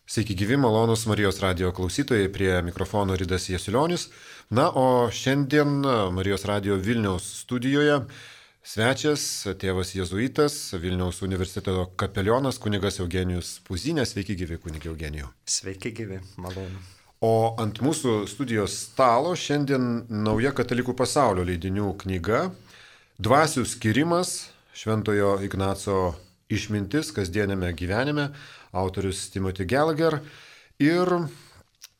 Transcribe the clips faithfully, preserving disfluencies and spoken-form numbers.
Sveiki gyvi, malonus Marijos radijo klausytojai, prie mikrofono Ridas Jasilionis. Na, o šiandien Marijos radijo Vilniaus studijoje svečias, tėvas jėzuitas, Vilniaus universiteto kapelionas, kunigas Eugenijus Puzinė. Sveiki gyvi, kunigė Eugenijų. Sveiki gyvi, malonu. O ant mūsų studijos stalo šiandien nauja Katalikų pasaulio leidinių knyga Dvasių skirimas, Šventojo Ignaco išmintis kasdienėme gyvenime, autorius Timothy Gallagher. Ir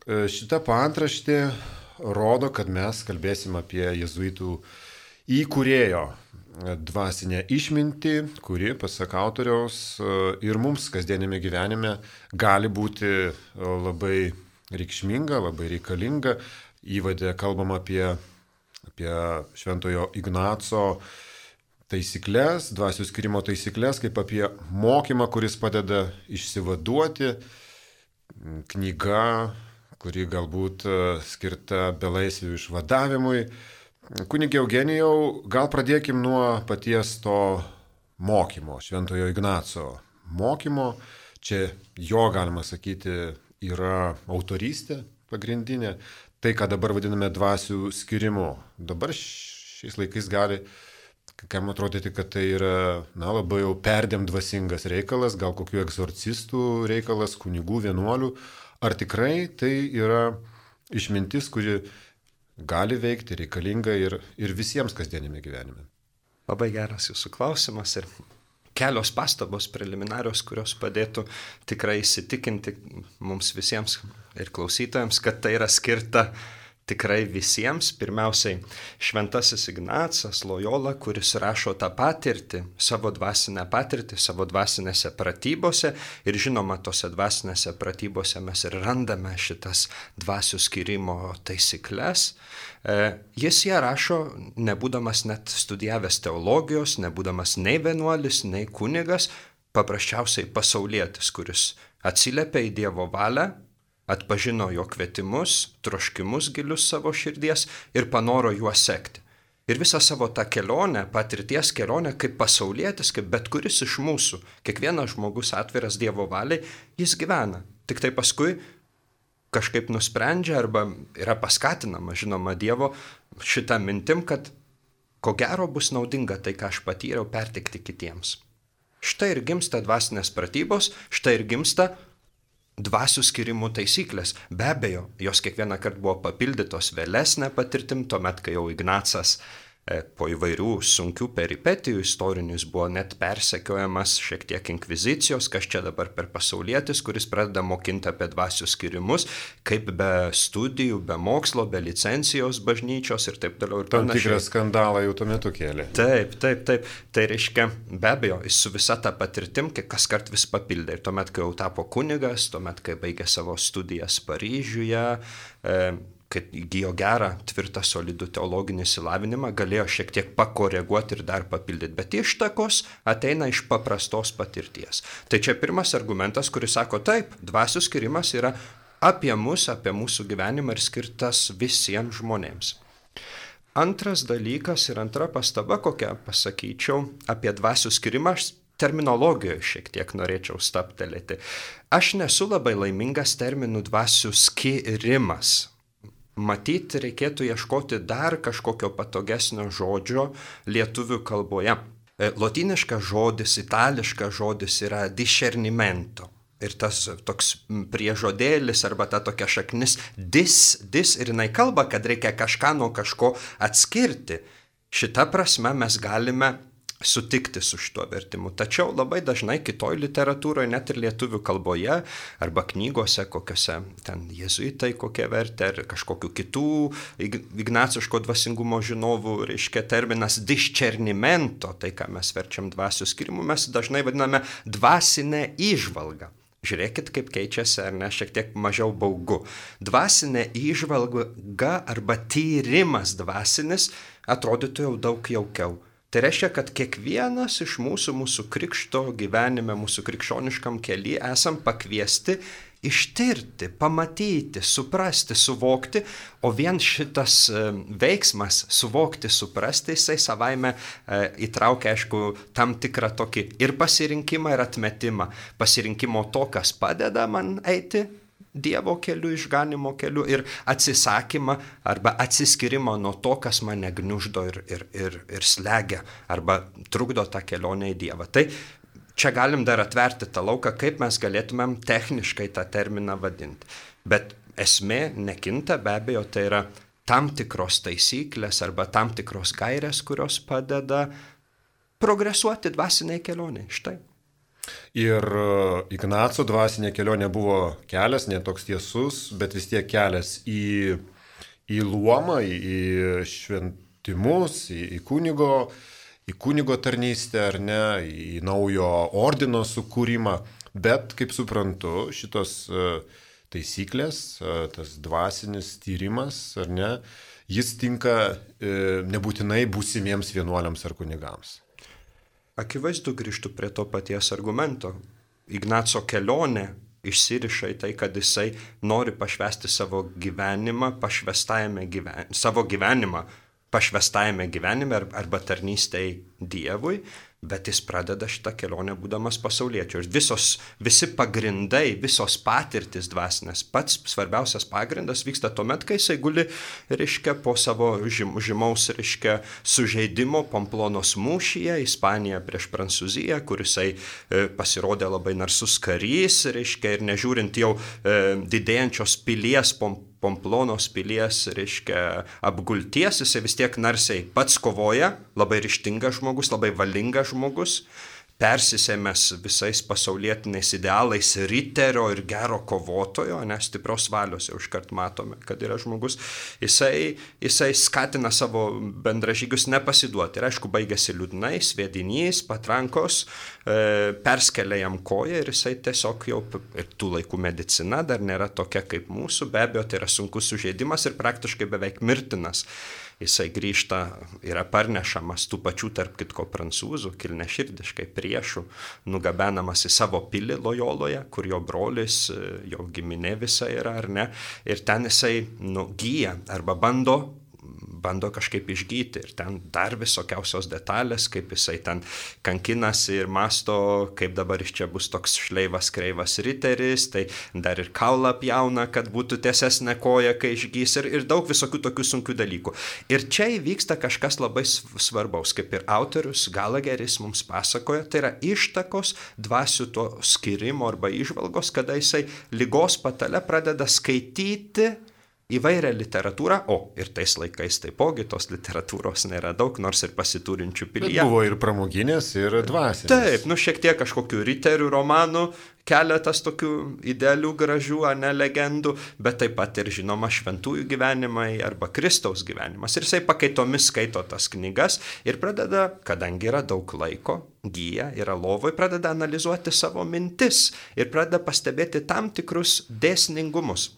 šita paantraštė rodo, kad mes kalbėsim apie jėzuitų įkūrėjo dvasinę išmintį, kuri, pasak autoriaus, ir mums kasdienėme gyvenime gali būti labai reikšminga, labai reikalinga. Įvade kalbam apie, apie Šventojo Ignaco taisyklės, dvasių skirimo taisyklės, kaip apie mokymą, kuris padeda išsivaduoti, knyga, kuri galbūt skirta belaisvių išvadavimui. Kunigė Eugenijau, gal pradėkim nuo paties to mokymo, Šventojo Ignaco mokymo. Čia jo, galima sakyti, yra autorystė pagrindinė. Tai, ką dabar vadiname dvasių skirimu. Dabar šiais laikais gali kam atrodyti, kad tai yra na, labai jau perdėm dvasingas reikalas, gal kokių egzorcistų reikalas, kunigų, vienuolių. Ar tikrai tai yra išmintis, kuri gali veikti, reikalinga ir, ir visiems kasdienime gyvenime? Labai geras jūsų klausimas ir kelios pastabos preliminarios, kurios padėtų tikrai įsitikinti mums visiems ir klausytojams, kad tai yra skirta tikrai visiems. Pirmiausiai, Šventasis Ignacas Lojola, kuris rašo tą patirtį, savo dvasinę patirtį, savo dvasinėse pratybose. Ir žinoma, tose dvasinėse pratybose mes ir randame šitas dvasių skirimo taisyklės. Jis ją rašo, nebūdamas net studijavęs teologijos, nebūdamas nei vienuolis, nei kunigas, paprasčiausiai pasaulietis, kuris atsiliepia į Dievo valią, atpažino jo kvietimus, troškimus gilius savo širdies ir panoro juos sekti. Ir visą savo tą kelionę, patirties kelionę, kaip pasaulietis, kaip bet kuris iš mūsų, kiekvienas žmogus atviras Dievo valiai, jis gyvena. Tik tai paskui kažkaip nusprendžia arba yra paskatinama, žinoma, Dievo šitą mintim, kad ko gero bus naudinga tai, ką aš patyriau, perteikti kitiems. Štai ir gimsta dvasinės pratybos, štai ir gimsta dvasių skirimų taisyklės. Be abejo, jos kiekvieną kartą buvo papildytos vėlesnė patirtim, tuomet, kai jau Ignacas e, po įvairių sunkių peripetijų istorinius buvo net persekiojamas šiek tiek inkvizicijos, kas čia dabar per pasaulietis, kuris pradeda mokinti apie dvasių skirimus, kaip be studijų, be mokslo, be licencijos bažnyčios ir taip toliau ir panašiai. Tam tikrą skandalą jau tuo metu kėlė. Taip, taip, taip. Tai reiškia, be abejo, jis su visa ta patirtim, kai kas kart vis papildė. Ir tuomet, kai jau tapo kunigas, tuomet, kai baigė savo studijas Paryžiuje, e, kad įgijo gerą, tvirtą, solidų teologinį išsilavinimą, galėjo šiek tiek pakoreguoti ir dar papildyti. Bet ištakos ateina iš paprastos patirties. Tai čia pirmas argumentas, kuris sako, taip, dvasių skirimas yra apie mus, apie mūsų gyvenimą ir skirtas visiems žmonėms. Antras dalykas ir antra pastaba, kokią pasakyčiau apie dvasių skirimą, aš terminologijoje šiek tiek norėčiau staptelėti. Aš nesu labai laimingas terminų dvasių skirimas. Matyti reikėtų ieškoti dar kažkokio patogesnio žodžio lietuvių kalboje. Lotyniškas žodis, itališkas žodis yra discernimento. Ir tas toks priežodėlis arba ta tokia šaknis dis, dis ir jinai kalba, kad reikia kažką nuo kažko atskirti. Šita prasme mes galime sutikti su šituo vertimu. Tačiau labai dažnai kitoj literatūroje, net ir lietuvių kalboje, arba knygose, kokiose ten jėzuitai kokie vertė, ar kažkokių kitų ignaciško dvasingumo žinovų, reiškia terminas discernimento, tai ką mes verčiam dvasių skirimu, mes dažnai vadiname dvasinę įžvalgą. Žiūrėkit, kaip keičiasi, ar ne, šiek tiek mažiau baugu. Dvasinė įžvalga arba tyrimas dvasinis atrodytų jau daug jaukiau. Tai reiškia, kad kiekvienas iš mūsų, mūsų krikšto gyvenime, mūsų krikščioniškam kely esam pakviesti ištirti, pamatyti, suprasti, suvokti, o vien šitas veiksmas suvokti, suprasti, jisai savaime įtraukia, aišku, tam tikrą tokį ir pasirinkimą, ir atmetimą. Pasirinkimo to, kas padeda man eiti Dievo keliu, išganimo keliu, ir atsisakymą arba atsiskirimą nuo to, kas mane gniuždo ir, ir, ir, ir slegia, arba trukdo tą kelionę į Dievą. Tai čia galim dar atverti tą lauką, kaip mes galėtumėm techniškai tą terminą vadinti. Bet esmė nekinta, be abejo, tai yra tam tikros taisyklės arba tam tikros gairės, kurios padeda progresuoti dvasiniai kelioniai. Štai. Ir Ignaco dvasinė kelionė buvo kelias, ne toks tiesus, bet vis tiek kelias į, į luomą, į, į šventimus, į, į kunigo, į kunigo tarnystę, ar ne, į naujo ordino sukūrimą. Bet, kaip suprantu, šitos taisyklės, tas dvasinis tyrimas, ar ne, jis tinka nebūtinai būsimiems vienuoliams ar kunigams. Akivaizdu, grįžtu prie to paties argumento. Ignaco kelionė išsiriša į tai, kad jisai nori pašvęsti savo gyvenimą, pašvęstajame gyven... savo gyvenimą, pašvęstajame gyvenime arba tarnystėj Dievui, bet jis pradeda šitą kelionę būdamas pasauliečiu. Ir visos, visi pagrindai, visos patirtis dvasinės, pats svarbiausias pagrindas vyksta tuomet, kai jisai guli, reiškia, po savo žym, žymaus, reiškia, sužeidimo Pamplonos mūšyje, Ispanija prieš Prancūziją, kur jisai e, pasirodė labai narsus karys, reiškia, ir nežiūrint jau e, didėjančios pilies pom, Pamplonos pilies, reiškia, apgulties, jisai vis tiek narsiai pats kovoja, labai ryžtingas žmogus, labai valingas žmogus, persisėmęs visais pasaulietiniais idealais riterio ir gero kovotojo, nes stiprios valios jau iškart matome, kad yra žmogus, jisai, jisai skatina savo bendražygius nepasiduoti. Ir aišku, baigėsi liūdnai, sviedinys, patrankos, e, perskelia jam koją ir jisai tiesiog jau, ir tų laikų medicina dar nėra tokia kaip mūsų, be abejo, tai yra sunkus sužeidimas ir praktiškai beveik mirtinas. Jisai grįžta, yra parnešamas tų pačių, tarp kitko, prancūzų, kilniaširdiškai priešų, nugabenamas į savo pilį Lojoloje, kur jo brolis, jo giminė visa yra, ar ne, ir ten jisai nu, gyja arba bando, bando kažkaip išgyti, ir ten dar visokiausios detalės, kaip jisai ten kankinasi ir masto, kaip dabar iš čia bus toks šleivas kreivas riteris, tai dar ir kaulą pjauna, kad būtų tiesesnė koja, kai išgys, ir, ir daug visokių tokių sunkių dalykų. Ir čia įvyksta kažkas labai svarbaus, kaip ir autorius Galageris mums pasakoja, tai yra ištakos dvasių to skirimo arba įžvalgos, kada jisai ligos patale pradeda skaityti įvairią literatūrą, o ir tais laikais taipogi tos literatūros nėra daug, nors ir pasiturinčių pilyje. Bet buvo ir pramoginės, ir dvasinės. Taip, nu šiek tiek kažkokių riterių romanų, keletas tokių idealių, gražių, ne legendų, bet taip pat ir žinoma šventųjų gyvenimai arba Kristaus gyvenimas. Ir jisai pakaitomis skaito tas knygas ir pradeda, kadangi yra daug laiko, gyja, yra lovoj, pradeda analizuoti savo mintis ir pradeda pastebėti tam tikrus dėsningumus.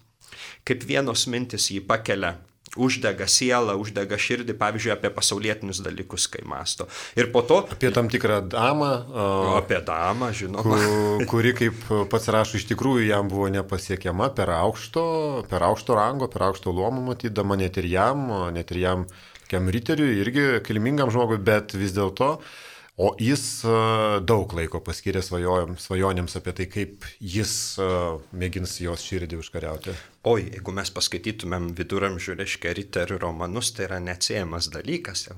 Kaip vienos mintis jį pakelia, uždega sielą, uždega širdį, pavyzdžiui, apie pasaulietinius dalykus, kai masto. Ir po to... Apie tam tikrą damą. O, apie damą, žinoma. Kuri, kaip pats rašo, iš tikrųjų jam buvo nepasiekiama per aukšto, per aukšto rango, per aukšto luomo matydama, net ir jam, net ir jam, kiam riteriui, irgi kilmingam žmogui, bet vis dėlto... O jis daug laiko paskyrė svajonėms apie tai, kaip jis mėgins jos širdį užkariauti. Oi, jeigu mes paskaitytumėm viduramžių, reiškia, riterių romanus, tai yra neatsiejamas dalykas.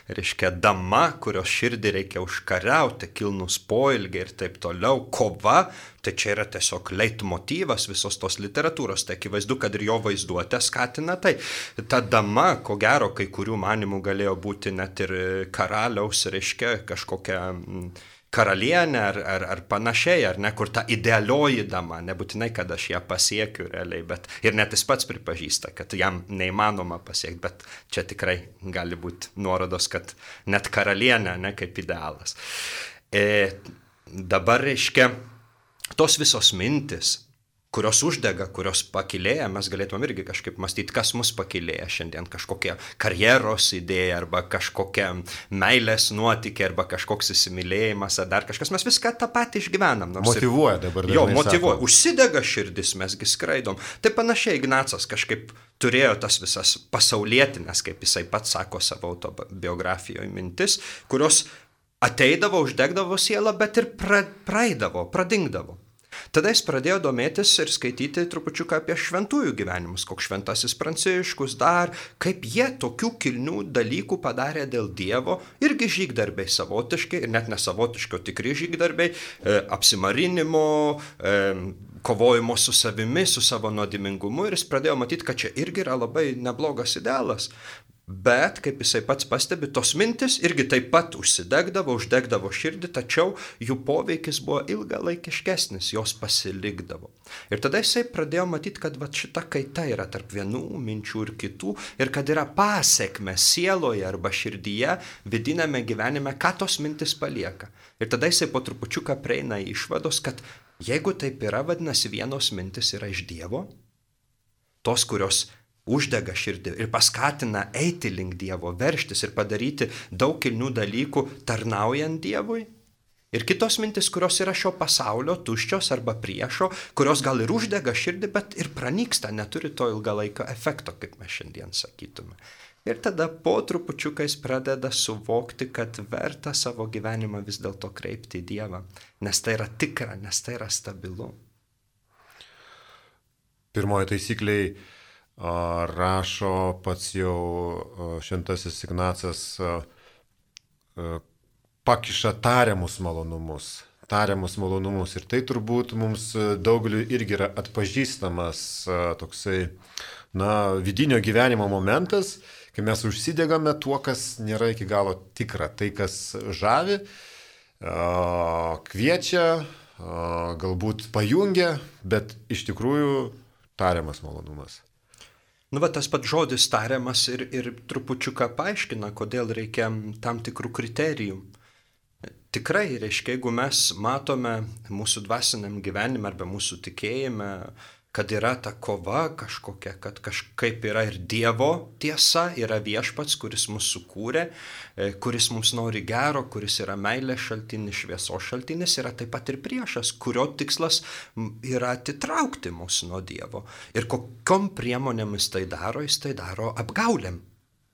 Reiškia, dama, kurios širdį reikia užkariauti, kilnus poilgiai ir taip toliau, kova, tai čia yra tiesiog leitmotyvas visos tos literatūros. Tai akivaizdu, kad ir jo vaizduotę skatina tai. Ta dama, ko gero, kai kurių manimų galėjo būti net ir karaliaus, reiškia, kažkokia... karalienė ar, ar, ar panašiai, ar ne, kur ta idealioji dama, nebūtinai, kad aš ją pasiekiu realiai, bet ir net jis pats pripažįsta, kad jam neįmanoma pasiekti, bet čia tikrai gali būti nuorodos, kad net karalienė, ne, kaip idealas. E, dabar reiškia, tos visos mintis, kurios uždega, kurios pakilėja, mes galėtume irgi kažkaip mąstyti, kas mus pakilėja šiandien, kažkokia karjeros idėja, arba kažkokia meilės nuotykė, arba kažkoks įsimylėjimas, ar dar kažkas, mes viską tą patį išgyvenam. Motyvuoja dabar dažnai. Jo, motyvuoja, sako. Užsidega širdis, mesgi skraidom. Tai panašiai Ignacas kažkaip turėjo tas visas pasaulietinės, kaip jisai pats sako savo autobiografijoje, mintis, kurios ateidavo, uždegdavo sielą, bet ir pra, praeidavo, pradingdavo. Tada jis pradėjo domėtis ir skaityti trupučiuką apie šventųjų gyvenimus, koks šventasis Pranciškus dar, kaip jie tokių kilnių dalykų padarė dėl Dievo, irgi žygdarbiai savotiškai, ir net nesavotiškai, tikri žygdarbiai, e, apsimarinimo, e, kovojimo su savimi, su savo nuodimingumu, ir jis pradėjo matyti, kad čia irgi yra labai neblogas idealas. Bet, kaip jisai pats pastebi, tos mintis irgi taip pat užsidegdavo, uždegdavo širdį, tačiau jų poveikis buvo ilgalaikiškesnis, jos pasilikdavo. Ir tada jisai pradėjo matyti, kad va, šita kaita yra tarp vienų minčių ir kitų, ir kad yra pasiekme sieloje arba širdyje, vidinėme gyvenime, ką tos mintis palieka. Ir tada jisai po trupučiuką prieina į išvados, kad jeigu taip yra, vadinasi, vienos mintis yra iš Dievo, tos, kurios uždega širdį ir paskatina eiti link Dievo, verštis ir padaryti daug kilnių dalykų tarnaujant Dievui. Ir kitos mintis, kurios yra šio pasaulio, tuščios arba priešo, kurios gal ir uždega širdį, bet ir pranyksta, neturi to ilgalaikio efekto, kaip mes šiandien sakytume. Ir tada po trupučiuką jis pradeda suvokti, kad verta savo gyvenimą vis dėlto kreipti į Dievą, nes tai yra tikra, nes tai yra stabilu. Pirmoji taisykliai rašo pats jau šventasis Ignacas, pakiša tariamus malonumus, tariamus malonumus. Ir tai turbūt mums daugeliu irgi yra atpažįstamas toksai, na, vidinio gyvenimo momentas, kai mes užsidegame tuo, kas nėra iki galo tikra, tai, kas žavi, kviečia, galbūt pajungia, bet iš tikrųjų tariamas malonumas. Nu, va, tas pats žodis tariamas ir, ir trupučiuką paaiškina, kodėl reikia tam tikrų kriterijų. Tikrai, reiškia, jeigu mes matome mūsų dvasiniam gyvenime arba mūsų tikėjime, kad yra ta kova kažkokia, kad kažkaip yra ir Dievo tiesa, yra viešpats, kuris mus sukūrė, kuris mums nori gero, kuris yra meilės šaltinis, šviesos šaltinis, yra taip pat ir priešas, kurio tikslas yra atitraukti mus nuo Dievo. Ir kokiom priemonėmis tai daro, jis tai daro apgaulėm.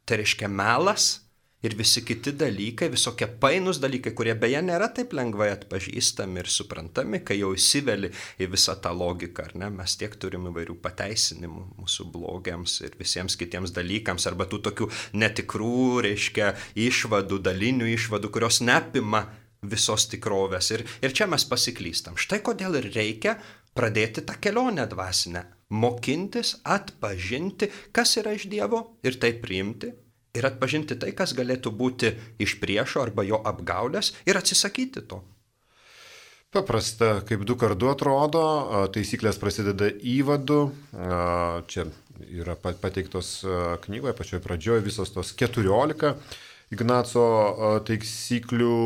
Tai reiškia melas ir visi kiti dalykai, visokie painus dalykai, kurie beje nėra taip lengvai atpažįstami ir suprantami, kai jau įsiveli į visą tą logiką, ar ne? Mes tiek turim įvairių pateisinimų mūsų blogiams ir visiems kitiems dalykams, arba tų tokių netikrų, reiškia, išvadų, dalinių išvadų, kurios neapima visos tikrovės. Ir, ir čia mes pasiklystam. Štai kodėl ir reikia pradėti tą kelionę dvasinę, mokintis, atpažinti, kas yra iš Dievo ir tai priimti. Ir atpažinti tai, kas galėtų būti iš priešo arba jo apgaulės ir atsisakyti to. Paprasta, kaip du kart du atrodo, taisyklės prasideda įvadu, čia yra pateiktos knygoje, pačioje pradžioje visos tos keturiolika Ignaco taisyklių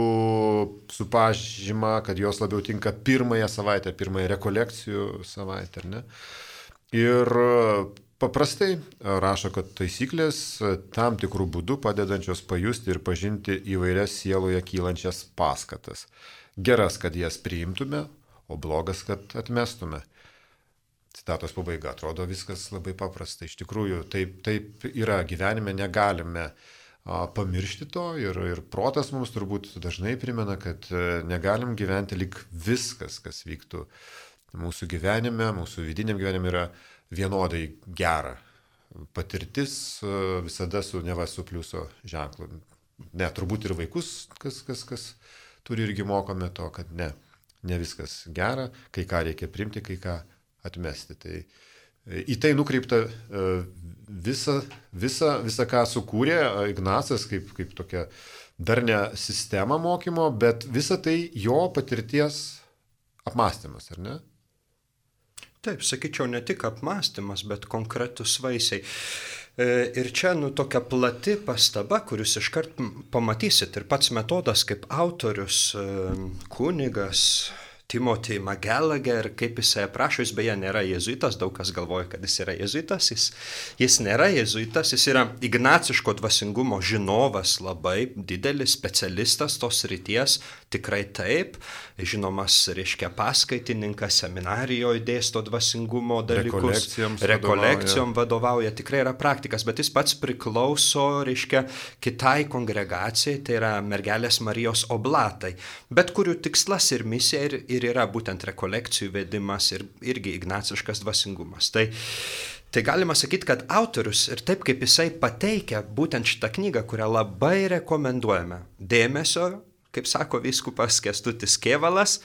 su pažyma, kad jos labiau tinka pirmąją savaitę, pirmąją rekolekcijų savaitę, ar ne? Ir paprastai rašo, kad taisyklės tam tikrų būdų padedančios pajusti ir pažinti įvairias sieloje kylančias paskatas. Geras, kad jas priimtume, o blogas, kad atmestume. Citatos pabaiga. Atrodo viskas labai paprasta. Iš tikrųjų, taip, taip yra gyvenime, negalime a, pamiršti to ir, ir protas mums turbūt dažnai primena, kad negalim gyventi lyg viskas, kas vyktų mūsų gyvenime, mūsų vidiniam gyvenime yra vienodai gera. Patirtis visada su neva su pliuso ženklu. Ne, turbūt ir vaikus, kas, kas, kas turi irgi mokome to, kad ne, ne viskas gera, kai ką reikia priimti, kai ką atmesti. Tai į tai nukreipta visa, visa, visa ką sukūrė Ignacas kaip, kaip tokia darnia sistema mokymo, bet visa tai jo patirties apmąstymas, ar ne? Taip, sakyčiau, ne tik apmąstymas, bet konkretus vaisiai. Ir čia, nu, tokia plati pastaba, kurius iškart pamatysit. Ir pats Metodas kaip autorius, kunigas, Timothy McGallagher, kaip jisai aprašo, jis beje nėra jėzuitas, daug kas galvoja, kad jis yra jėzuitas, jis, jis nėra jėzuitas, jis yra ignaciško dvasingumo žinovas, labai didelis specialistas tos ryties, tikrai taip, žinomas, reiškia, paskaitininkas, seminarijoje dėsto dvasingumo dalykus, rekolekcijom vadovauja. vadovauja, tikrai yra praktikas, bet jis pats priklauso, reiškia, kitai kongregacijai, tai yra Mergelės Marijos oblatai, bet kurių tikslas ir misija ir ir yra būtent rekolekcijų vedimas ir irgi ignaciškas dvasingumas. Tai, tai galima sakyti, kad autorius ir taip kaip jisai pateikia būtent šitą knygą, kurią labai rekomenduojame. Dėmesio, kaip sako vyskupas Kęstutis Kėvalas,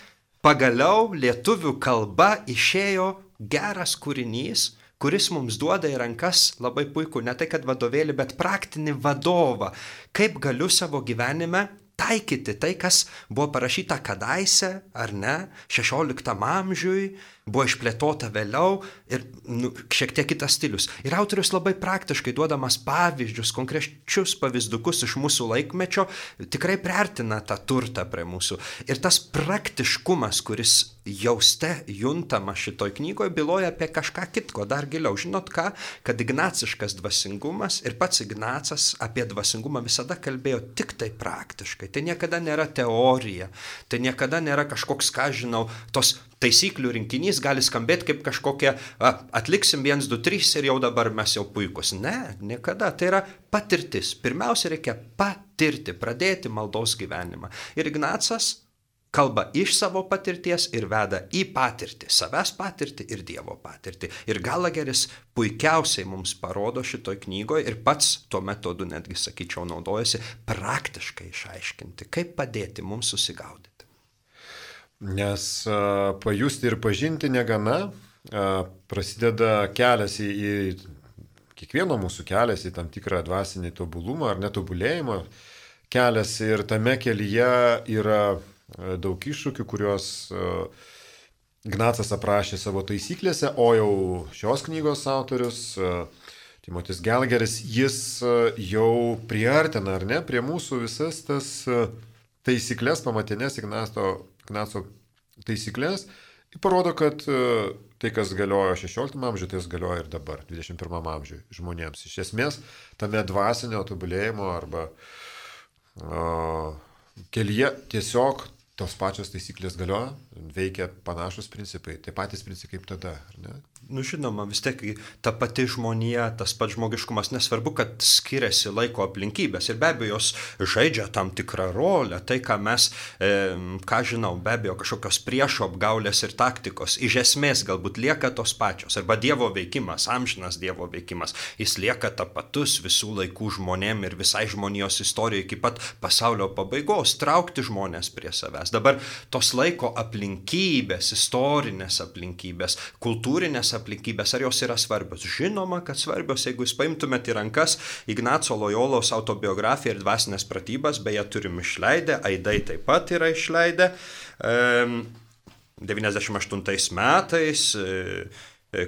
pagaliau lietuvių kalba išėjo geras kūrinys, kuris mums duoda į rankas labai puikų, ne tai kad vadovėlį, bet praktinį vadovą, kaip galiu savo gyvenime taikyti tai, kas buvo parašyta kadaise, ar ne, šešioliktam amžiui, buvo išplėtota vėliau ir nu, šiek tiek kitas stilius. Ir autorius labai praktiškai duodamas pavyzdžius, konkrečius pavyzdukus iš mūsų laikmečio, tikrai priartina tą turtą prie mūsų. Ir tas praktiškumas, kuris jauste juntama šitoj knygoje, byloja apie kažką kitko, dar giliau. Žinot ką, kad ignaciškas dvasingumas ir pats Ignacas apie dvasingumą visada kalbėjo tik tai praktiškai. Tai niekada nėra teorija, tai niekada nėra kažkoks, ką žinau, tos taisyklių rinkinys gali skambėti kaip kažkokie, a, atliksim vienas, du, trys ir jau dabar mes jau puikus. Ne, niekada. Tai yra patirtis. Pirmiausia, reikia patirti, pradėti maldos gyvenimą. Ir Ignacas kalba iš savo patirties ir veda į patirtį, savęs patirtį ir Dievo patirtį. Ir Gallagheris puikiausiai mums parodo šitoj knygoje ir pats tuo metodu, netgi sakyčiau, naudojasi praktiškai išaiškinti, kaip padėti mums susigaudyti. Nes a, pajusti ir pažinti negana, a, prasideda kelias į, į kiekvieno mūsų kelias į tam tikrą dvasinį tobulumą ar netobulėjimą kelias ir tame kelyje yra daug iššūkių, kuriuos Ignacas aprašė savo taisyklėse, o jau šios knygos autorius, Timotis Gallagheris, jis jau priartina, ar ne, prie mūsų visas tas taisyklės, pamatinės Ignaco, Ignaco taisyklės, ir parodo, kad tai, kas galiojo šešioliktam amžiuje, tai galioja ir dabar, dvidešimt pirmam amžiuje žmonėms. Iš esmės, tame dvasinio tobulėjimo arba o, kelyje tiesiog tos pačios taisyklės galioja, veikia panašus principai, tai patys principai kaip tada, ar ne? Nu žinoma, vis tiek ta pati žmonija, tas pats žmogiškumas, nesvarbu, kad skiriasi laiko aplinkybės ir be abejo jos žaidžia tam tikrą rolę, tai ką mes, e, ką žinau, be abejo kažkokios priešo apgaulės ir taktikos, iš esmės galbūt lieka tos pačios, arba Dievo veikimas, amžinas Dievo veikimas, jis lieka tapatus visų laikų žmonėm ir visai žmonijos istorijai iki pat pasaulio pabaigos, traukti žmonės prie savęs. Dabar tos laiko aplinkybės, istorinės aplinkybės, kultūrinės aplinkybės, ar jos yra svarbios? Žinoma, kad svarbios, jeigu jūs paimtumėte į rankas Ignaco Lojolos autobiografiją ir dvasinės pratybas, beje turim išleidę, aidai taip pat yra išleidę, devyniasdešimt aštuntais metais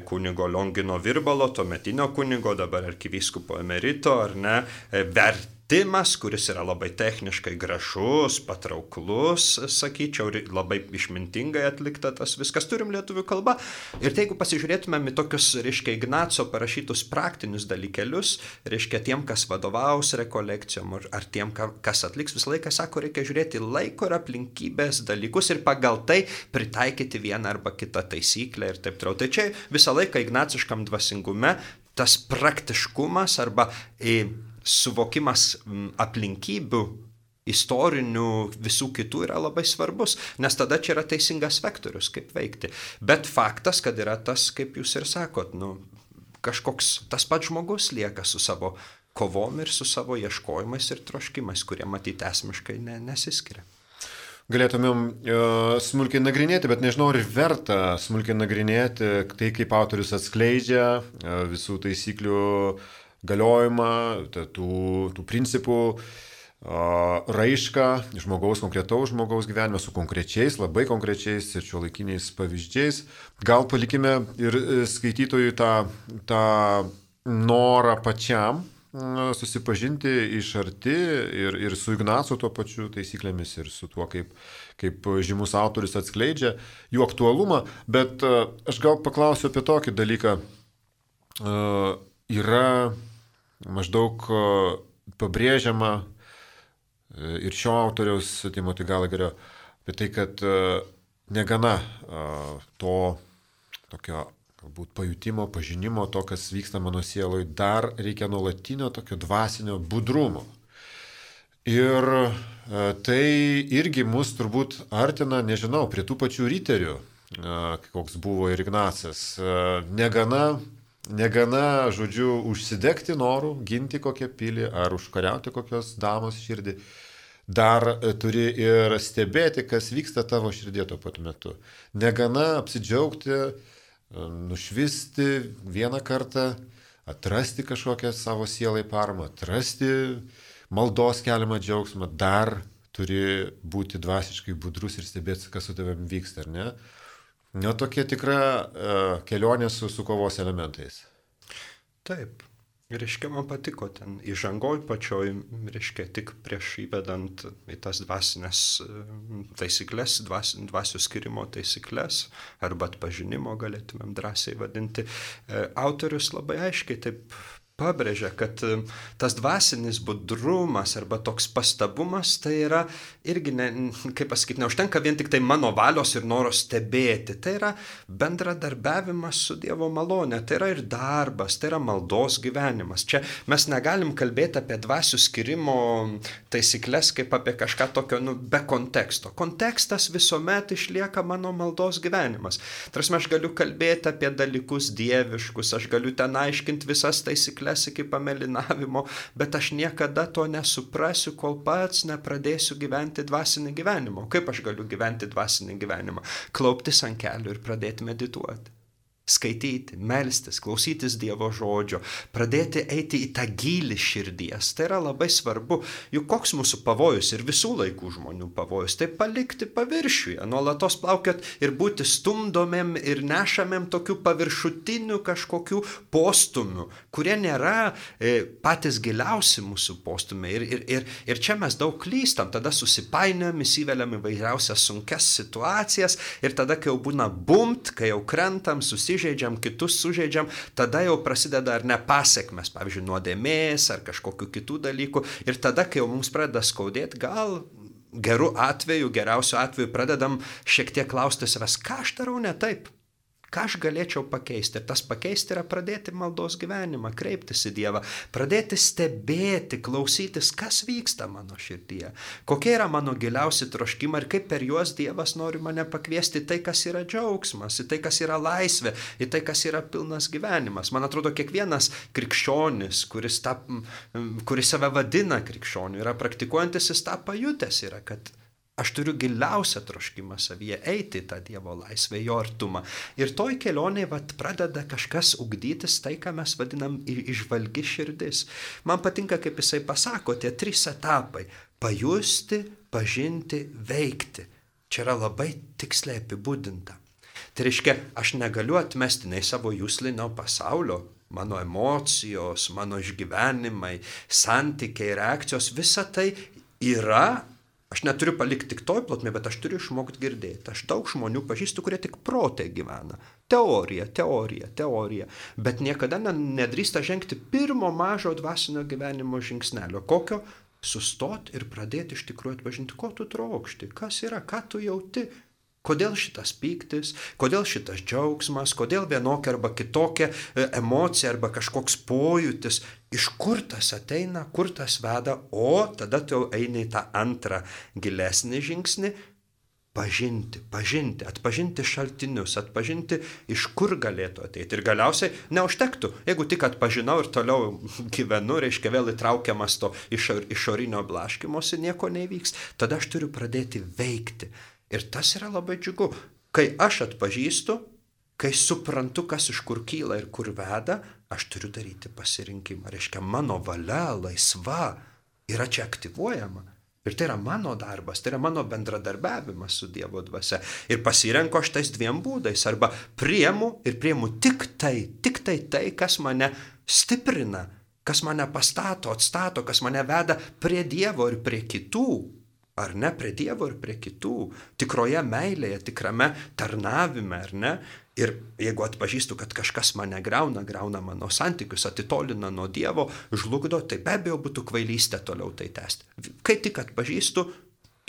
kunigo Liongino Virbalo, tuometinio kunigo, dabar arkivyskupo emerito, ar ne, vertimas, kuris yra labai techniškai gražus, patrauklus, sakyčiau, labai išmintingai atlikta tas viskas, turim lietuvių kalbą. Ir tai, jeigu pasižiūrėtumėm į tokius, reiškia, Ignaco parašytus praktinius dalykelius, reiškia, tiem, kas vadovaus rekolekcijom, ar tiem, kas atliks, visą laiką sako, reikia žiūrėti laiko ir aplinkybės dalykus ir pagal tai pritaikyti vieną arba kitą taisyklę ir taip toliau. Tai čia visą laiką ignaciškam dvasingume tas praktiškumas arba e, suvokimas aplinkybių, istorinių, visų kitų yra labai svarbus, nes tada čia yra teisingas vektorius, kaip veikti. Bet faktas, kad yra tas, kaip jūs ir sakot, nu, kažkoks tas pats žmogus lieka su savo kovom ir su savo ieškojimais ir troškimais, kurie matyti esmiškai ne, nesiskiria. Galėtumėm uh, smulkiai nagrinėti, bet nežinau, ar verta smulkiai nagrinėti tai, kaip autorius atskleidžia uh, visų taisyklių galiojimą, tų, tų principų uh, raišką žmogaus, konkretaus žmogaus gyvenime su konkrečiais, labai konkrečiais ir šiuolaikiniais pavyzdžiais. Gal palikime ir skaitytojui tą, tą norą pačiam susipažinti iš arti ir, ir su Ignacu tuo pačiu taisyklėmis ir su tuo, kaip, kaip žymus autorius atskleidžia jų aktualumą. Bet aš gal paklausiu apie tokį dalyką. Yra maždaug pabrėžiama ir šio autoriaus Timothy Gallagherio apie tai, kad negana to tokio galbūt pajutimo, pažinimo, to, kas vyksta mano sieloje, dar reikia nuolatinio tokio dvasinio budrumo. Ir tai irgi mus turbūt artina, nežinau, prie tų pačių riterių, koks buvo ir Ignacas. Negana, negana, žodžiu, užsidegti norų, ginti kokią pilį ar užkariauti kokios damos širdį. Dar turi ir stebėti, kas vyksta tavo širdie tuo pat metu. Negana apsidžiaugti, nušvisti vieną kartą, atrasti kažkokią savo sielai paramą, atrasti maldos keliamą džiaugsmą, dar turi būti dvasiškai budrus ir stebėti, kas su tavimi vyksta, ar ne? Na, tokia tikra uh, kelionė su, su kovos elementais. Taip. Reiškia, man patiko ten įžangoj pačioj, reiškia, tik prieš įvedant į tas dvasinės taisyklės, dvas, dvasių skirimo taisyklės, arba atpažinimo galėtumėm drąsiai vadinti, autorius labai aiškiai taip pabrėžia, kad tas dvasinis budrumas arba toks pastabumas, tai yra irgi, ne, kaip pasakyti, neužtenka vien tik tai mano valios ir noro stebėti, tai yra bendradarbiavimas su Dievo malone, tai yra ir darbas, tai yra maldos gyvenimas. Čia mes negalim kalbėti apie dvasių skirimo taisyklės kaip apie kažką tokio, nu, be konteksto. Kontekstas visuomet išlieka mano maldos gyvenimas. Tarsi aš galiu kalbėti apie dalykus dieviškus, aš galiu ten aiškinti visas taisyklės iki pamelinavimo, bet aš niekada to nesuprasiu, kol pats nepradėsiu gyventi dvasinį gyvenimą. Kaip aš galiu gyventi dvasinį gyvenimą? Klauptis ant kelių ir pradėti medituoti. Skaityti, melstis, klausytis Dievo žodžio, pradėti eiti į tą gilį širdies. Tai yra labai svarbu. Juk koks mūsų pavojus ir visų laikų žmonių pavojus, tai palikti paviršiuje, nuolatos plaukiot ir būti stumdomėm ir nešamėm tokių paviršutinių kažkokių postumių, kurie nėra e, patys giliausi mūsų postumiai. Ir, ir, ir, ir čia mes daug klystam, tada susipainiam, įsiveliam įvairiausias sunkias situacijas ir tada, kai jau būna bumt, kai jau krentam, susipainiam, žaidžiam, kitus sužaidžiam, tada jau prasideda ar ne pasekmes, pavyzdžiui, nuodėmės ar kažkokių kitų dalykų. Ir tada, kai jau mums pradeda skaudėti, gal gerų atveju, geriausiu atveju pradedam šiek tiek klausti savęs, ką aš darau ne taip, ką aš galėčiau pakeisti. Ir tas pakeisti yra pradėti maldos gyvenimą, kreiptis į Dievą, pradėti stebėti, klausytis, kas vyksta mano širdyje, kokie yra mano giliausi troškimai ir kaip per juos Dievas nori mane pakviesti į tai, kas yra džiaugsmas, į tai, kas yra laisvė, į tai, kas yra pilnas gyvenimas. Man atrodo, kiekvienas krikščionis, kuris, ta, kuris save vadina krikščioniu, yra praktikuojantis, jis tą pajutęs yra, kad aš turiu giliausią troškimą savyje eiti į tą Dievo laisvę, jo artumą. Ir toj kelionėje vat, pradeda kažkas ugdytis tai, ką mes vadinam įžvalgi širdis. Man patinka, kaip jisai pasako, tie trys etapai – pajusti, pažinti, veikti. Čia yra labai tiksliai apibūdinta. Tai reiškia, aš negaliu atmesti nei savo juslinio pasaulio, mano emocijos, mano išgyvenimai, santykiai, reakcijos, visa tai yra. Aš neturiu palikti tik toj plotmė, bet aš turiu išmokti girdėti. Aš daug žmonių pažįstu, kurie tik protė gyvena. Teorija, teorija, teorija. Bet niekada nedrįsta žengti pirmo mažo dvasinio gyvenimo žingsnelio. Kokio? Sustot ir pradėti iš tikrųjų atpažinti, ko tu trokšti, kas yra, ką tu jauti. Kodėl šitas pyktis, kodėl šitas džiaugsmas, kodėl vienokia arba kitokia emocija arba kažkoks pojūtis, iš kur tas ateina, kur tas veda, o tada tu jau eini į tą antrą gilesnį žingsnį, pažinti, pažinti, atpažinti šaltinius, atpažinti, iš kur galėtų ateiti. Ir galiausiai neužtektų, jeigu tik atpažinau ir toliau gyvenu, reiškia vėl įtraukiamas to išorinio blaškymosi, nieko nevyks, tada aš turiu pradėti veikti. Ir tas yra labai džiugu. Kai aš atpažįstu, kai suprantu, kas iš kur kyla ir kur veda, aš turiu daryti pasirinkimą. Reiškia, mano valia laisva yra čia aktyvuojama. Ir tai yra mano darbas, tai yra mano bendradarbiavimas su Dievo dvasia. Ir pasirenku aš tais dviem būdais. Arba priemu ir priemu tik tai, tik tai tai, kas mane stiprina, kas mane pastato, atstato, kas mane veda prie Dievo ir prie kitų. Ar ne, prie Dievo ir prie kitų, tikroje meilėje, tikrame tarnavime, ar ne? Ir jeigu atpažįstu, kad kažkas mane grauna, grauna mano santykius, atitolina nuo Dievo, žlugdo, tai be abejo būtų kvailystė toliau tai tęsti. Kai tik atpažįstu,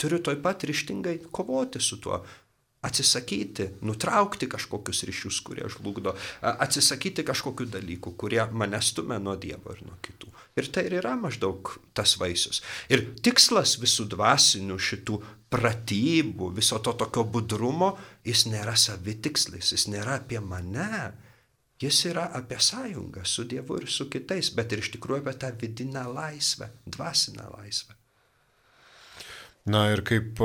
turiu toj pat ryžtingai kovoti su tuo, atsisakyti, nutraukti kažkokius ryšius, kurie žlugdo, atsisakyti kažkokių dalykų, kurie mane stumia nuo Dievo ir nuo kitų. Ir tai ir yra maždaug tas vaisius. Ir tikslas visų dvasinių šitų pratybų, viso to tokio budrumo, jis nėra savitikslis, jis nėra apie mane, jis yra apie sąjungą su Dievu ir su kitais, bet ir iš tikrųjų apie tą vidinę laisvę, dvasinę laisvę. Na ir kaip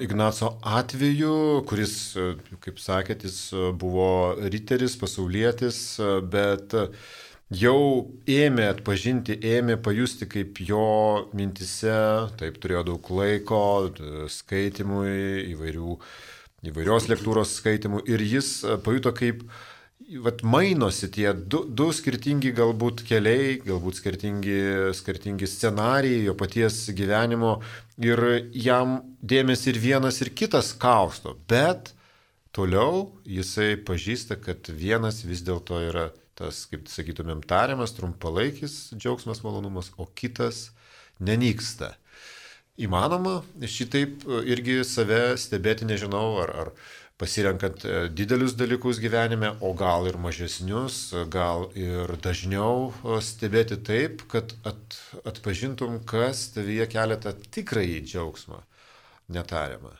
Ignaco atveju, kuris, kaip sakėt, jis buvo riteris, pasaulietis, bet jau ėmė atpažinti, ėmė pajusti, kaip jo mintise, taip turėjo daug laiko skaitimui, įvairių, įvairios lektūros skaitimų ir jis pajuto, kaip vat, mainosi tie du, du skirtingi galbūt keliai, galbūt skirtingi, skirtingi scenarijai jo paties gyvenimo ir jam dėmesį ir vienas ir kitas kausto, bet toliau jisai pažįsta, kad vienas vis dėlto yra tas, kaip sakytumėm, tariamas, trumpalaikis džiaugsmas, malonumas, o kitas nenyksta. Įmanoma šitaip irgi save stebėti, nežinau, ar, ar pasirenkant didelius dalykus gyvenime, o gal ir mažesnius, gal ir dažniau stebėti taip, kad at, atpažintum, kas tavyje kelia tą tikrąjį džiaugsmą, netariamą.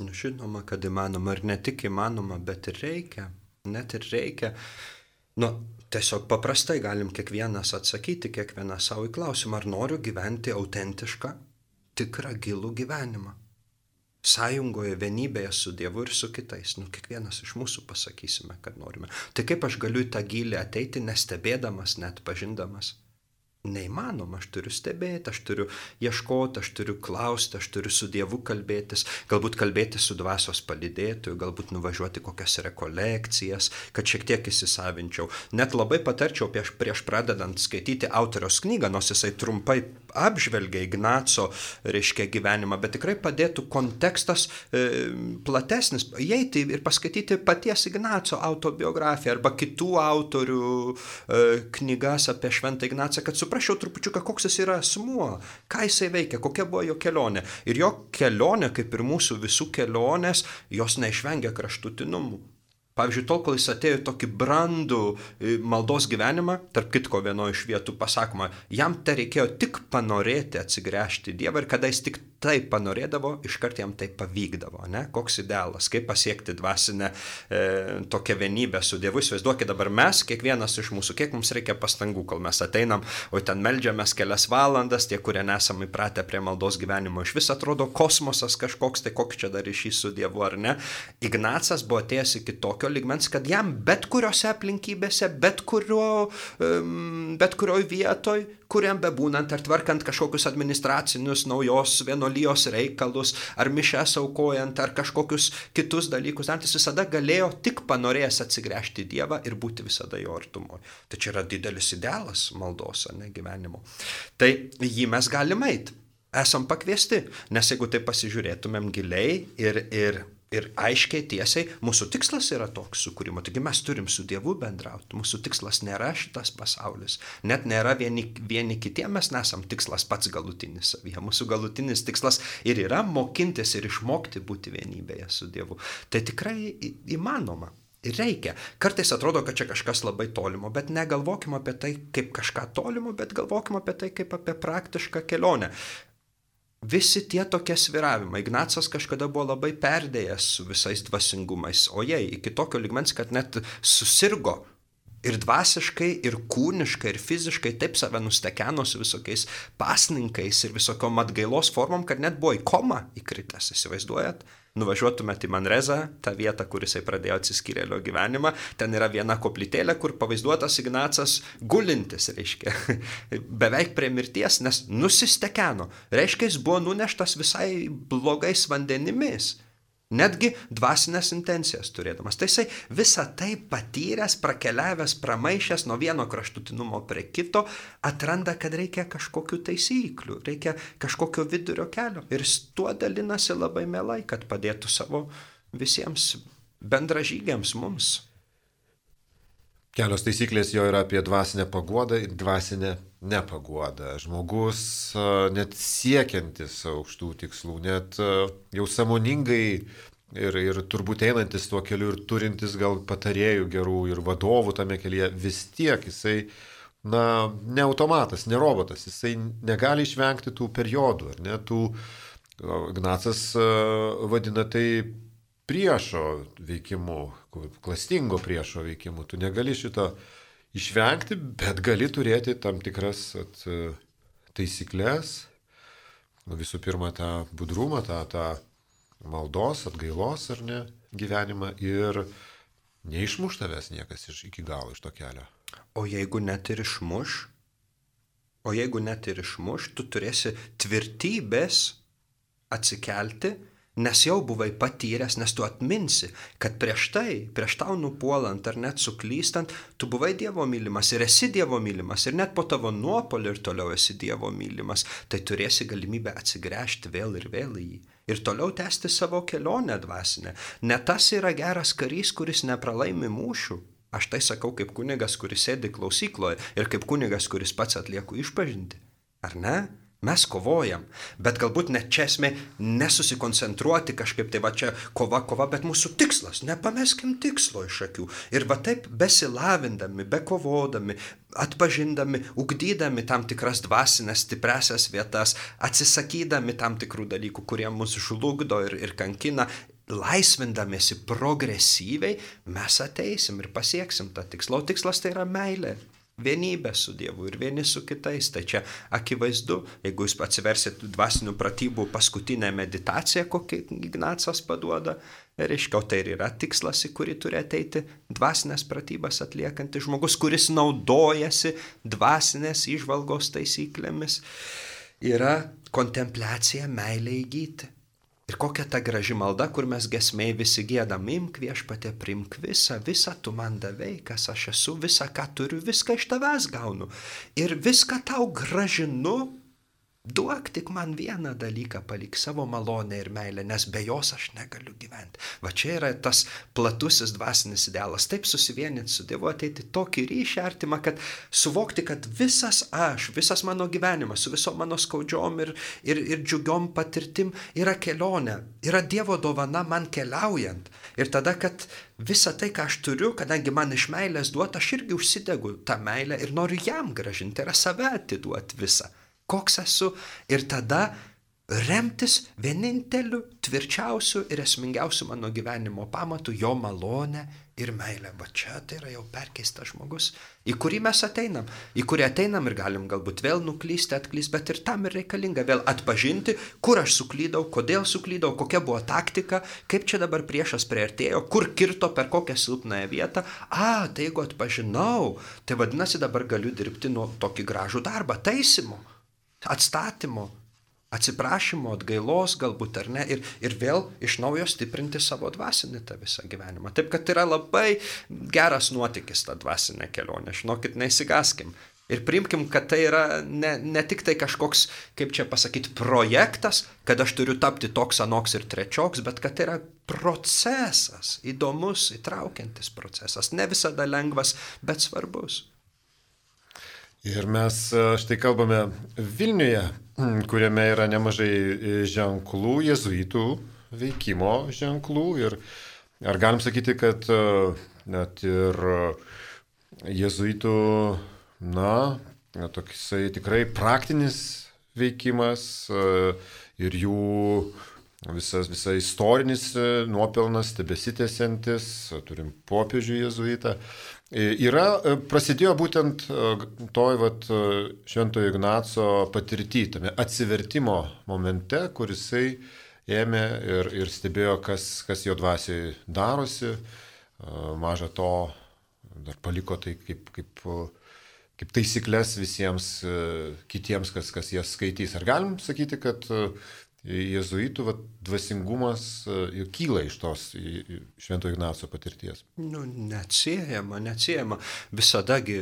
Nu, žinoma, kad įmanoma ir ne tik įmanoma, bet ir reikia, net ir reikia. Nu, tiesiog paprastai galim kiekvienas atsakyti, kiekvienas savo į klausimą, ar noriu gyventi autentišką, tikrą, gilų gyvenimą. Sąjungoje, vienybėje su Dievu ir su kitais. Nu, kiekvienas iš mūsų pasakysime, kad norime. Tai kaip aš galiu į tą gylį ateiti, nestebėdamas, net pažindamas? Neįmanoma, aš turiu stebėti, aš turiu ieškoti, aš turiu klausti, aš turiu su Dievu kalbėtis, galbūt kalbėti su dvasios palydėtoju, galbūt nuvažiuoti kokias rekolekcijas, kad šiek tiek įsisavinčiau. Net labai patarčiau prieš, prieš pradedant skaityti autoriaus knygą, nors jisai trumpai apžvelgia Ignaco, reiškia, gyvenimą, bet tikrai padėtų kontekstas e, platesnis, įeiti ir paskaityti paties Ignaco autobiografiją arba kitų autorių e, knygas apie Šventą Ignacą, kad suprasčiau trupučiuką, koks jis yra asmuo, ką jisai veikia, kokia buvo jo kelionė. Ir jo kelionė, kaip ir mūsų visų kelionės, jos neišvengia kraštutinumų. Pavyzdžiui, tol, kol jis atėjo tokį brandų maldos gyvenimą, tarp kitko vienoje iš vietų pasakoma, jam tai reikėjo tik panorėti atsigręžti Dievą ir kada jis tik taip panorėdavo, iškart jam tai pavykdavo, ne? Koks idealas, kaip pasiekti dvasinę e, tokią vienybę su Dievu. Įsivaizduokit dabar mes, kiekvienas iš mūsų, kiek mums reikia pastangų, kol mes ateinam, o ten meldžiamės kelias valandas, tie, kurie nesam įpratę prie maldos gyvenimo, iš vis atrodo kosmosas kažkoks, tai koks čia dar ryšys su Dievu, ar ne? Ignacas buvo atėjęs iki tokio lygmens, kad jam bet kuriuose aplinkybėse, bet, kurio, um, bet kurioj vietoj, kuriam bebūnant, ar tvarkant kažkokius administracinius naujos vienolijos reikalus, ar mišes aukojant, ar kažkokius kitus dalykus, jis visada galėjo tik panorėjęs atsigręžti į Dievą ir būti visada jo artumoje. Tai čia yra didelis idealas maldos, ne, gyvenimo. Tai jį mes galime eiti, esam pakviesti, nes jeigu tai pasižiūrėtumėm giliai ir, ir Ir aiškiai, tiesiai, mūsų tikslas yra toks sukūrimo. Taigi mes turim su Dievu bendrauti. Mūsų tikslas nėra šitas pasaulis. Net nėra vieni, vieni kitiem, mes nesam tikslas pats galutinis savyje. Mūsų galutinis tikslas ir yra mokintis ir išmokti būti vienybėje su Dievu. Tai tikrai įmanoma. Ir reikia. Kartais atrodo, kad čia kažkas labai tolimo, bet negalvokime apie tai kaip kažką tolimo, bet galvokime apie tai kaip apie praktišką kelionę. Visi tie tokie svyravimai. Ignacas kažkada buvo labai perdėjęs su visais dvasingumais, o jei iki tokio lygmens, kad net susirgo ir dvasiškai, ir kūniškai, ir fiziškai taip save nustekeno su visokiais pasninkais ir visokiom atgailos formom, kad net buvo į komą įkritęs, įsivaizduojat? Nuvažiuotumėt į Manrezą, tą vietą, kur jisai pradėjo atsiskyrėlio gyvenimą, ten yra viena koplytėlė, kur pavaizduotas Ignacas gulintis, reiškia, beveik prie mirties, nes nusistekeno. Reiškia, jis buvo nuneštas visai blogais vandenimis. netgi dvasinės intencijas turėdamas. Tai jisai visą tai patyręs, prakeliavęs, pramaišęs nuo vieno kraštutinumo prie kito, atranda, kad reikia kažkokių taisyklių, reikia kažkokio vidurio kelio. Ir jis tuo dalinasi labai mielai, kad padėtų savo visiems bendražygiams mums. Kelios taisyklės jo yra apie dvasinę paguodą ir dvasinę nepaguodą. Žmogus net siekiantis aukštų tikslų, net jau sąmoningai ir, ir turbūt einantis tuo keliu ir turintis gal patarėjų gerų ir vadovų tame kelyje, vis tiek jisai, na, ne automatas, ne robotas, jisai negali išvengti tų periodų, ar ne, tų, Ignacas vadina tai priešo veikimu, klastingo priešo veikimu. Tu negali šito išvengti, bet gali turėti tam tikras at, taisyklės. Nu, visų pirma, tą budrumą, tą, tą maldos, atgailos ar ne gyvenimą ir neišmuš tavęs niekas iš, iki galo iš to kelio. O jeigu net ir išmuš, o jeigu net ir išmuš, tu turėsi tvirtybės atsikelti, nes jau buvai patyręs, nes tu atminsi, kad prieš tai, prieš tau nupuolant ar net suklystant, tu buvai Dievo mylimas ir esi Dievo mylimas ir net po tavo nuopuolio ir toliau esi Dievo mylimas, tai turėsi galimybę atsigręžti vėl ir vėl į jį ir toliau tęsti savo kelionę dvasinę. Ne tas yra geras karys, kuris nepralaimi mūšių. Aš tai sakau kaip kunigas, kuris sėdi klausykloje ir kaip kunigas, kuris pats atlieka išpažintį. Ar ne? Mes kovojam, bet galbūt net čia esmė nesusikoncentruoti kažkaip, tai va čia kova, kova, bet mūsų tikslas, nepameskim tikslo iš akių. Ir va taip besilavindami, bekovodami, atpažindami, ugdydami tam tikras dvasinės stipresias vietas, atsisakydami tam tikrų dalykų, kurie mus žlugdo ir, ir kankina, laisvindamėsi progresyviai, mes ateisim ir pasieksim tą tikslą. O tikslas tai yra meilė. Vienybė su Dievu ir vieni su kitais. Tai čia akivaizdu, jeigu jūs atsiversit dvasinių pratybų paskutinę meditaciją, kokią Ignacas paduoda, reiškia, tai ir yra tikslas, į kurį turi ateiti dvasinės pratybas atliekantis žmogus, kuris naudojasi dvasinės įžvalgos taisyklėmis, yra kontempliacija, meilė įgyti. Ir kokia ta graži malda, kur mes giesmėj visi giedam, imk Viešpatie, priimk visą, visą tu man davei, kas aš esu, visą, ką turiu, viską iš tavęs gaunu. Ir viską tau gražinu, duok tik man vieną dalyką, palik savo malonę ir meilę, nes be jos aš negaliu gyventi. Va čia yra tas platusis dvasinis idealas, taip susivieninti su Dievu, ateiti tokį ryšį artimą, kad suvokti, kad visas aš, visas mano gyvenimas, su visom mano skaudžiom ir, ir, ir džiugiom patirtim yra kelionė, yra Dievo dovana man keliaujant. Ir tada, kad visą tai, ką aš turiu, kadangi man iš meilės duota, aš irgi užsidegu tą meilę ir noriu jam gražinti, yra save atiduoti visą. Koks esu ir tada remtis vieninteliu, tvirčiausiu ir esmingiausiu mano gyvenimo pamatu, jo malonę ir meilę. Va čia tai yra jau perkeistas žmogus, į kurį mes ateinam, į kurį ateinam ir galim galbūt vėl nuklysti, atklysti, bet ir tam ir reikalinga vėl atpažinti, kur aš suklydau, kodėl suklydau, kokia buvo taktika, kaip čia dabar priešas priartėjo, kur kirto, per kokią silpnąją vietą. A, tai jeigu atpažinau, tai vadinasi dabar galiu dirbti nuo tokį gražų darbą, taisymo, atstatymo, atsiprašymo, atgailos galbūt ar ne, ir, ir vėl iš naujo stiprinti savo dvasinį tą visą gyvenimą. Taip, kad yra labai geras nuotykis ta dvasinė kelionė, žinokit, neįsigaskim. Ir priimkim, kad tai yra ne, ne tik tai kažkoks, kaip čia pasakyti, projektas, kad aš turiu tapti toks, anoks ir trečioks, bet kad tai yra procesas, įdomus, įtraukiantis procesas, ne visada lengvas, bet svarbus. Ir mes štai kalbame Vilniuje, kuriame yra nemažai ženklų, jėzuitų veikimo ženklų. Ir ar galim sakyti, kad net ir jėzuitų, na, toksai tikrai praktinis veikimas ir jų visas, visas istorinis nuopelnas tebesitęsiantis, turim popiežių jėzuitą. Yra, prasidėjo būtent toj vat, Šventojo Ignaco patirty, tame atsivertimo momente, kur jisai ėmė ir, ir stebėjo, kas, kas jo dvasiai darosi. Maža to, dar paliko tai kaip, kaip, kaip taisyklės visiems kitiems, kas, kas jas skaitys. Ar galim sakyti, kad jėzuitų vat, dvasingumas ir kyla iš tos Švento Ignaco patirties. Nu, neatsiejama, neatsiejama. Visadagi,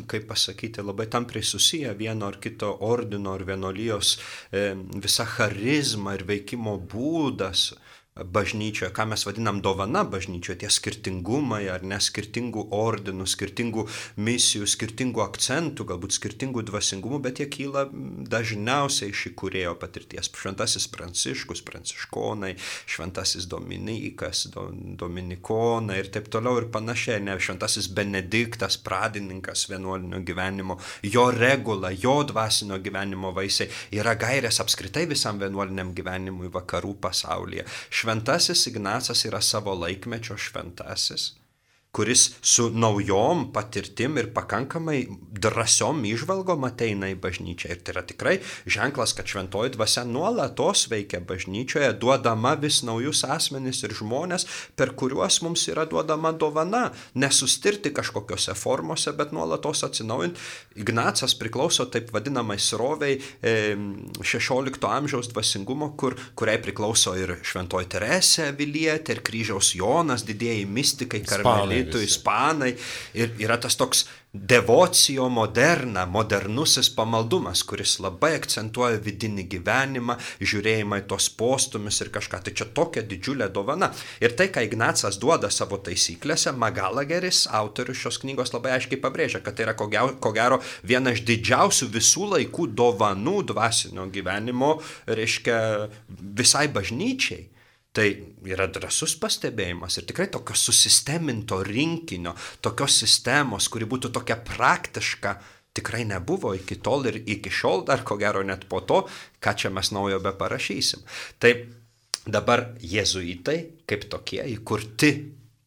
kaip pasakyti, labai tampriai susiję vieno ar kito ordino ar vienolijos e, visa charizma ir veikimo būdas bažnyčioje, ką mes vadinam dovana bažnyčioje, tie skirtingumai ar ne, skirtingų ordinų, skirtingų misijų, skirtingų akcentų, galbūt skirtingų dvasingumų, bet jie kyla dažniausiai iš įkūrėjo patirties. Šventasis Pranciškus, pranciškonai, šventasis Dominikas, do, dominikonai ir taip toliau ir panašiai, ne, šventasis Benediktas, pradininkas vienuolinio gyvenimo, jo regula, jo dvasinio gyvenimo vaisiai yra gairės apskritai visam vienuoliniam gyvenimui vakarų pasaulyje. Šventasis Ignacas yra savo laikmečio šventasis, kuris su naujom patirtim ir pakankamai drąsiom įžvalgom ateina į bažnyčią. Ir tai yra tikrai ženklas, kad šventoji dvasia nuolatos veikia bažnyčioje, duodama vis naujus asmenis ir žmonės, per kuriuos mums yra duodama dovana. Nesustirti kažkokiose formose, bet nuolatos atsinaujinti. Ignacas priklauso taip vadinamai sroviai šešiolikto amžiaus dvasingumo, kur, kuriai priklauso ir šventoji Teresė Avilietė, ir kryžiaus Jonas, didieji mistikai, karmelitai, ispanai, ir yra tas toks devocio moderna, modernusis pamaldumas, kuris labai akcentuoja vidinį gyvenimą, žiūrėjimą į tos postumis ir kažką. Tai čia tokia didžiulė dovana. Ir tai, ką Ignacas duoda savo taisyklėse, Magalageris, autorius šios knygos, labai aiškiai pabrėžia, kad tai yra ko gero viena iš didžiausių visų laikų dovanų dvasinio gyvenimo, reiškia visai bažnyčiai. Tai yra drąsus pastebėjimas ir tikrai tokio susisteminto rinkinio, tokios sistemos, kuri būtų tokia praktiška, tikrai nebuvo iki tol ir iki šiol dar ko gero net po to, ką čia mes naujo be parašysim. Tai dabar jėzuitai kaip tokie įkurti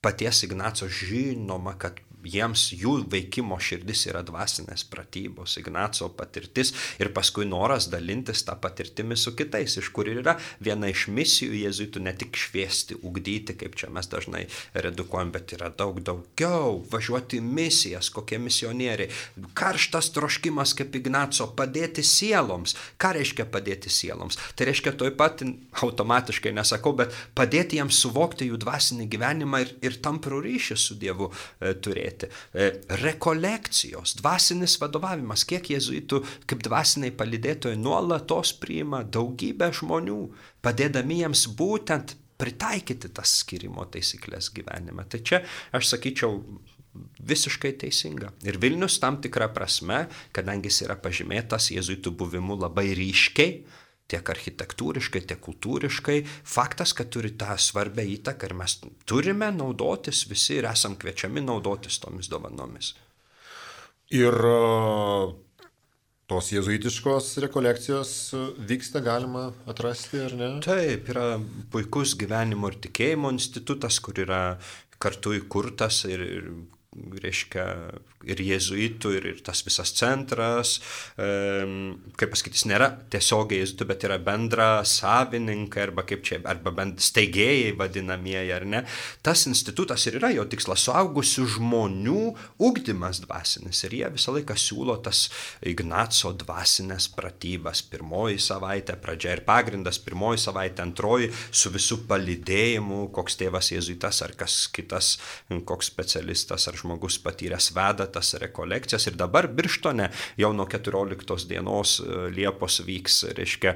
paties Ignaco, žinoma, kad jiems jų veikimo širdis yra dvasinės pratybos, Ignaco patirtis ir paskui noras dalintis tą patirtimį su kitais, iš kur yra viena iš misijų jėzuitų ne tik šviesti, ugdyti, kaip čia mes dažnai redukuojam, bet yra daug daugiau, važiuoti į misijas, kokie misionieriai, karštas troškimas kaip Ignaco, padėti sieloms. Ką reiškia padėti sieloms? Tai reiškia toj pat, automatiškai nesakau, bet padėti jiems suvokti jų dvasinį gyvenimą ir, ir tamprų ryšį su Dievu e, turėti. Rekolekcijos, dvasinis vadovavimas, kiek jėzuitų kaip dvasiniai palydėtojai nuolatos priima daugybę žmonių, padėdami jiems būtent pritaikyti tas skirimo taisyklės gyvenime. Tai čia, aš sakyčiau, visiškai teisinga. Ir Vilnius tam tikrą prasme, kadangi jis yra pažymėtas jėzuitų buvimu labai ryškiai, tiek architektūriškai, tiek kultūriškai, faktas, kad turi tą svarbę įtaką ir mes turime naudotis visi ir esam kviečiami naudotis tomis dovanomis. Ir tos jėzuitiškos rekolekcijos vyksta, galima atrasti, ar ne? Taip, yra puikus gyvenimo ir tikėjimo institutas, kur yra kartu įkurtas ir, ir reiškia, ir jėzuitų, ir, ir tas visas centras, e, kaip pasakyti, jis nėra tiesiogiai jėzuitų, bet yra bendra savininkai, arba kaip čia, arba bent steigėjai vadinamieji, ar ne. Tas institutas ir yra jo tikslas, suaugusių žmonių ugdymas dvasinis, ir jie visą laiką siūlo tas Ignaco dvasinės pratybas, pirmoji savaitė, pradžia ir pagrindas, pirmoji savaitė, antroji, su visų palydėjimu, koks tėvas jėzuitas, ar kas kitas, koks specialistas, ar žmogus patyręs veda tas rekolekcijas. Ir dabar Birštone jau nuo keturioliktos dienos Liepos vyks, reiškia,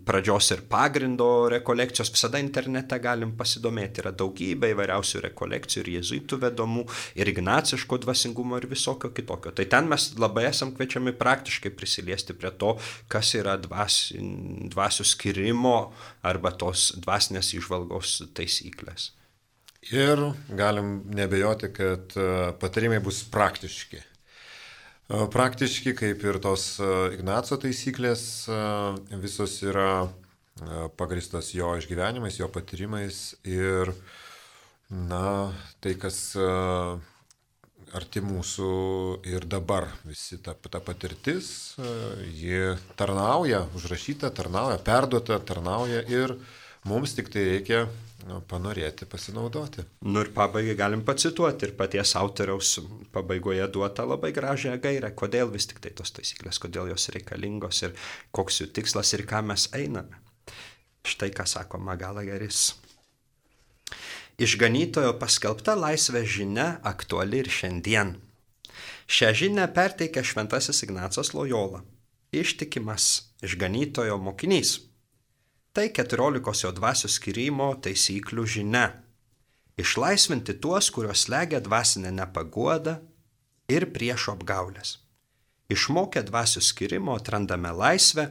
pradžios ir pagrindo rekolekcijos. Visada internete galim pasidomėti. Yra daugybė įvairiausių rekolekcijų ir jėzuitų vedomų, ir ignaciško dvasingumo, ir visokio kitokio. Tai ten mes labai esam kviečiami praktiškai prisiliesti prie to, kas yra dvasi, dvasių skirimo arba tos dvasinės įžvalgos taisyklės. Ir galim nebejoti, kad patarimai bus praktiški. Praktiški, kaip ir tos Ignaco taisyklės, visos yra pagristos jo išgyvenimais, jo patyrimais ir, na, tai, kas arti mūsų ir dabar. Visi ta, ta patirtis, ji tarnauja, užrašyta, tarnauja, perduota, tarnauja ir mums tik tai reikia nu, panorėti, pasinaudoti. Nu ir pabaigai galim pacituoti ir paties autoriaus pabaigoje duota labai gražią gairę, kodėl vis tik tai tos taisyklės, kodėl jos reikalingos ir koks jų tikslas ir ką mes einame. Štai ką sako Magalageris. Išganytojo paskelbta laisvės žinia aktuali ir šiandien. Šią žinią perteikia šventasis Ignacas Lojola, ištikimas išganytojo mokinys. Tai keturiolikos jo dvasių skyrimo taisyklių žinia. Išlaisvinti tuos, kuriuos slegia dvasinė nepaguoda ir priešo apgaulės. Išmokę dvasių skyrimo atrandame laisvę,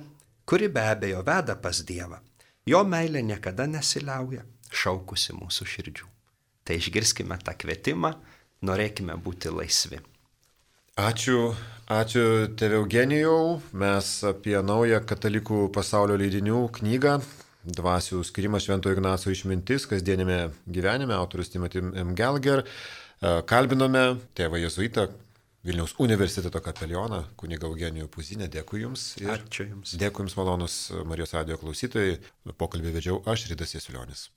kuri be abejo veda pas Dievą. Jo meilė niekada nesiliauja, šaukusi mūsų širdžių. Tai išgirskime tą kvietimą, norėkime būti laisvi. Ačiū, ačiū tėve Eugenijau. Mes apie naują katalikų pasaulio leidinių knygą Dvasių skirimas Šventojo Ignaco išmintis kasdienėme gyvenime, autorius Timothy M. Gallagher. Kalbinome tėvą jėzuitą, Vilniaus universiteto kapelioną, kunigą Eugenijų Puzinę. Dėkui Jums. Ačiū Jums. Dėkui Jums, malonus Marijos radijo klausytojai. Pokalbį vedžiau aš, Ridas Jasiulionis.